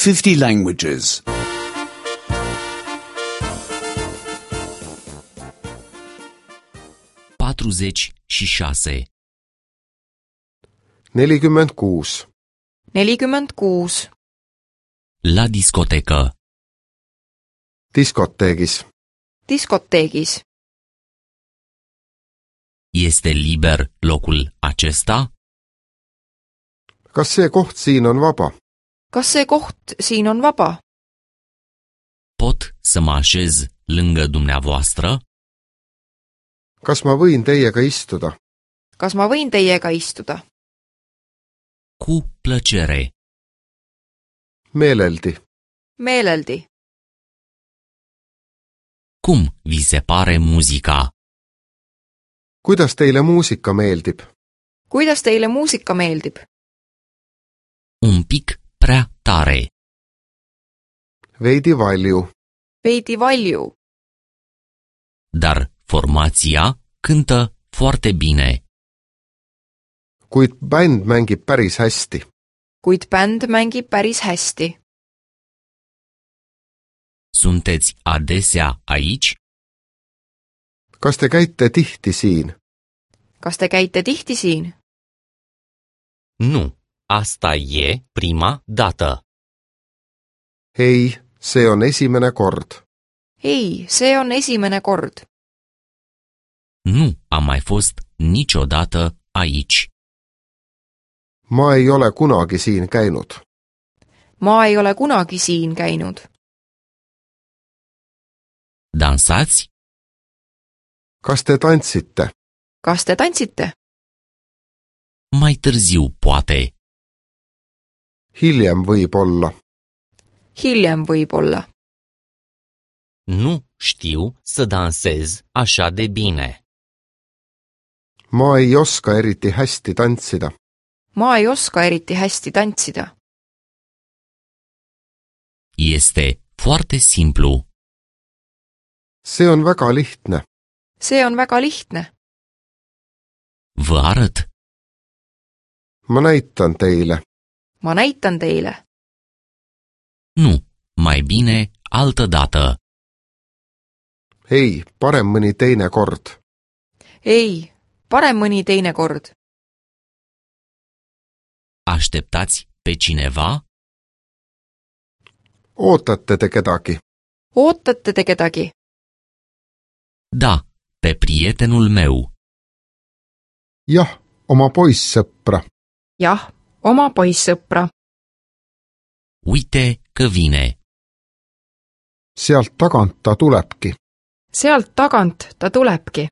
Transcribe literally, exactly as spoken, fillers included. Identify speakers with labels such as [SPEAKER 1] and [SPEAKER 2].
[SPEAKER 1] fifty languages.
[SPEAKER 2] patruzeci și șase.
[SPEAKER 3] nelikümmend kuus.
[SPEAKER 4] nelikümmend kuus.
[SPEAKER 2] La discotecă.
[SPEAKER 3] Diskoteegis.
[SPEAKER 4] Diskoteegis.
[SPEAKER 2] Este liber locul acesta?
[SPEAKER 3] Kas see koht siin on vaba?
[SPEAKER 4] Kas see koht siin on vaba?
[SPEAKER 2] Pot să mă așez lângă dumneavoastră?
[SPEAKER 3] Kas ma võin teiega istuda?
[SPEAKER 4] Kas ma võin teiega istuda?
[SPEAKER 2] Cu plăcere.
[SPEAKER 3] Meeleldi.
[SPEAKER 4] Meeleldi.
[SPEAKER 2] Cum vi se pare muzica?
[SPEAKER 3] Kuidas teile muusika meeldib?
[SPEAKER 4] Kuidas teile muusika meeldib?
[SPEAKER 2] Un pic prea tare.
[SPEAKER 3] Veidi valju.
[SPEAKER 4] Veidi valju.
[SPEAKER 2] Dar formația cântă foarte bine.
[SPEAKER 3] Kuid bänd mängib päris hästi.
[SPEAKER 4] Kuid bänd mängib päris hästi.
[SPEAKER 2] Sunteți adesea aici?
[SPEAKER 3] Kas te käite tihti siin?
[SPEAKER 4] Kas te käite tihti siin?
[SPEAKER 2] Nu, asta e prima dată.
[SPEAKER 3] Ei, see on esimene kord.
[SPEAKER 4] Ei, see on esimene kord.
[SPEAKER 2] Nu am mai fost niciodată aici.
[SPEAKER 3] Ma ei ole kunagi siin käinud.
[SPEAKER 4] Ma ei ole kunagi siin käinud.
[SPEAKER 2] Dansați?
[SPEAKER 3] Kas te tantsite?
[SPEAKER 4] Kas te tantsite?
[SPEAKER 2] Mai târziu, poate.
[SPEAKER 3] Hiljem võib-olla.
[SPEAKER 4] Hiljem võib-olla.
[SPEAKER 2] Nu știu să dansez așa de bine.
[SPEAKER 3] Ma ei oska eriti hästi tantsida.
[SPEAKER 4] Ma ei oska eriti hästi tantsida.
[SPEAKER 2] Este foarte simplu.
[SPEAKER 3] See on väga lihtne.
[SPEAKER 4] See on väga lihtne.
[SPEAKER 2] Vă arăt.
[SPEAKER 3] Ma näitan teile.
[SPEAKER 4] Ma näitan teile.
[SPEAKER 2] Nu, mai bine altă dată.
[SPEAKER 3] Ei, parem mõni teine kord.
[SPEAKER 4] Ei, parem mõni teine kord.
[SPEAKER 2] Așteptați pe cineva?
[SPEAKER 3] Ootate te kedagi?
[SPEAKER 4] Ootate te kedagi?
[SPEAKER 2] Da, pe prietenul meu.
[SPEAKER 3] Jah, oma poissõpra.
[SPEAKER 4] Jah, oma poissõpra.
[SPEAKER 2] Uite că vine.
[SPEAKER 3] Sealt tagant ta tulebki.
[SPEAKER 4] Sealt tagant ta tulebki.